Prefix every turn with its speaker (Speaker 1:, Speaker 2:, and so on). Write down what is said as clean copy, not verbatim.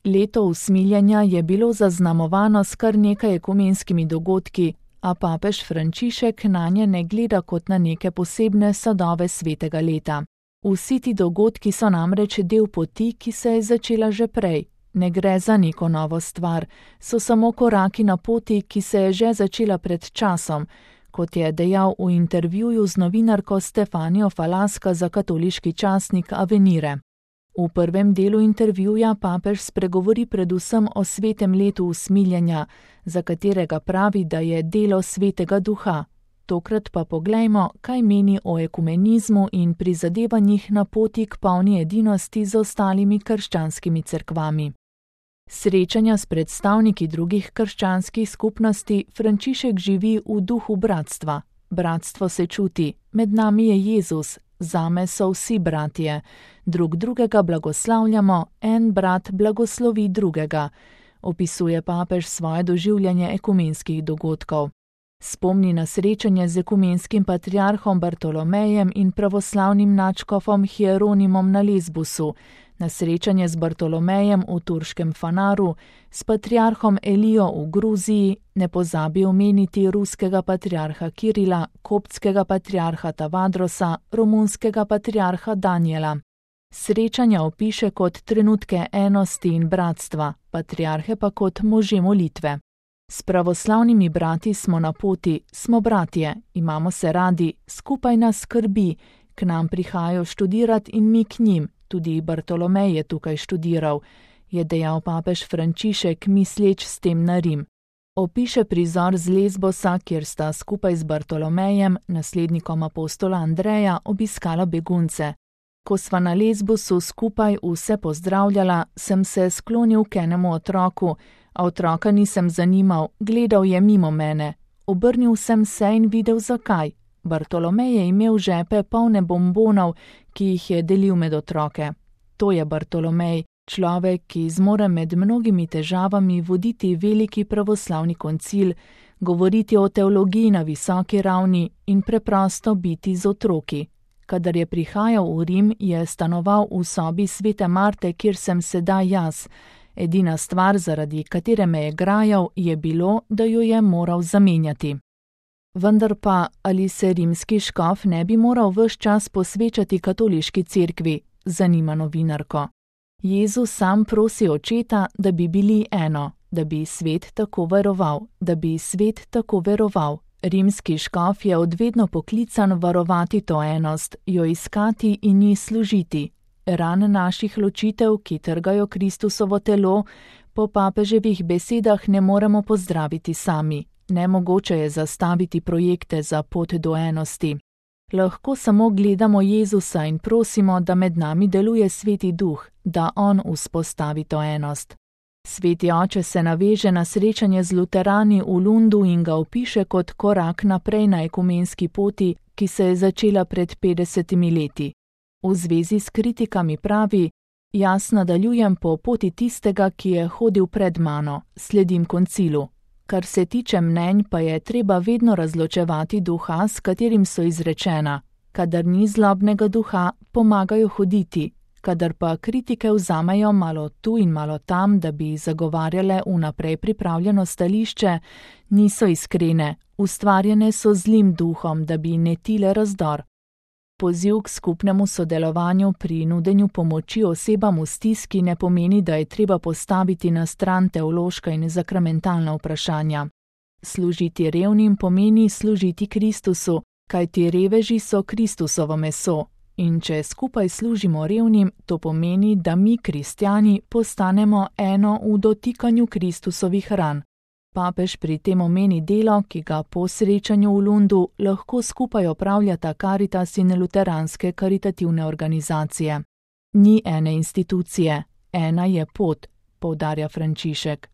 Speaker 1: Leto usmiljenja je bilo zaznamovano s kar nekaj ekumenskimi dogodki, a papež Frančišek nanje ne gleda kot na neke posebne sadove svetega leta. Vsi ti dogodki so namreč del poti, ki se je začela že prej. Ne gre za neko novo stvar, so samo koraki na poti, ki se je že začela pred časom, kot je dejal v intervjuju z novinarko Stefanijo Falaska za katoliški časnik Avenire. V prvem delu intervjuja papež spregovori predvsem o svetem letu usmiljenja, za katerega pravi, da je delo svetega duha. Tokrat pa poglejmo, kaj meni o ekumenizmu in prizadevanjih na poti k polni edinosti z ostalimi krščanskimi cerkvami. Srečanja s predstavniki drugih krščanskih skupnosti Frančišek živi v duhu bratstva. Bratstvo se čuti, med nami je Jezus, zame so vsi bratje. Drug drugega blagoslavljamo, en brat blagoslovi drugega, opisuje papež svoje doživljanje ekumenskih dogodkov. Spomni na srečanje z ekumenskim patriarhom Bartolomejem in pravoslavnim nadškofom Hieronimom na Lesbosu, na srečanje z Bartolomejem v turškem Fanaru, s patriarhom Elijo v Gruziji, ne pozabi omeniti ruskega patriarha Kirila, koptskega patriarha Tavadrosa, romunskega patriarha Danijela. Srečanja opiše kot trenutke enosti in bratstva, patriarhe pa kot može molitve. S pravoslavnimi brati smo na poti, smo bratje, imamo se radi, skupaj nas skrbi, k nam prihajajo študirati in mi k njim, tudi Bartolomej je tukaj študiral, je dejal papež Frančišek, misleč s tem na Rim. Opiše prizor z Lesbosa, kjer sta skupaj z Bartolomejem, naslednikom apostola Andreja, obiskala begunce. Ko sva na Lesbosu skupaj vse pozdravljala, sem se sklonil k enemu otroku, a otroka nisem zanimal, gledal je mimo mene. Obrnil sem se in videl zakaj. Bartolomej je imel žepe polne bombonov, ki jih je delil med otroke. To je Bartolomej, človek, ki zmore med mnogimi težavami voditi veliki pravoslavni koncil, govoriti o teologiji na visoki ravni in preprosto biti z otroki. Kadar je prihajal v Rim, je stanoval v sobi svete Marte, kjer sem sedaj jaz. Edina stvar, zaradi katere me je grajal, je bilo, da jo je moral zamenjati. Vendar pa, ali se rimski škof ne bi moral ves čas posvečati katoliški cerkvi, zanima novinarko. Jezus sam prosi očeta, da bi bili eno, da bi svet tako veroval, da bi svet tako veroval. Rimski škof je odvedno poklican varovati to enost, jo iskati in ji služiti. Ran naših ločitev, ki trgajo Kristusovo telo, po papeževih besedah ne moremo pozdraviti sami. Nemogoče je zastaviti projekte za pot do enosti. Lahko samo gledamo Jezusa in prosimo, da med nami deluje Sveti Duh, da on vzpostavi to enost. Sveti oče se naveže na srečanje z luterani v Lundu in ga opiše kot korak naprej na ekumenski poti, ki se je začela pred 50 leti. V zvezi s kritikami pravi: jaz nadaljujem po poti tistega, ki je hodil pred mano, sledim koncilu. Kar se tiče mnenj, pa je treba vedno razločevati duha, s katerim so izrečena. Kadar ni zlobnega duha, pomagajo hoditi. Kadar pa kritike vzamejo malo tu in malo tam, da bi zagovarjale vnaprej pripravljeno stališče, niso iskrene, ustvarjene so zlim duhom, da bi netile razdor. Poziv k skupnemu sodelovanju pri nudenju pomoči osebam v stiski ne pomeni, da je treba postaviti na stran teološka in zakramentalna vprašanja. Služiti revnim pomeni služiti Kristusu, kajti reveži so Kristusovo meso. In če skupaj služimo revnim, to pomeni, da mi, kristjani, postanemo eno v dotikanju Kristusovih ran. Papež pri tem omeni delo, ki ga po srečanju v Lundu lahko skupaj opravljata Karitas in luteranske karitativne organizacije. Ni ene institucije, ena je pot, poudarja Frančišek.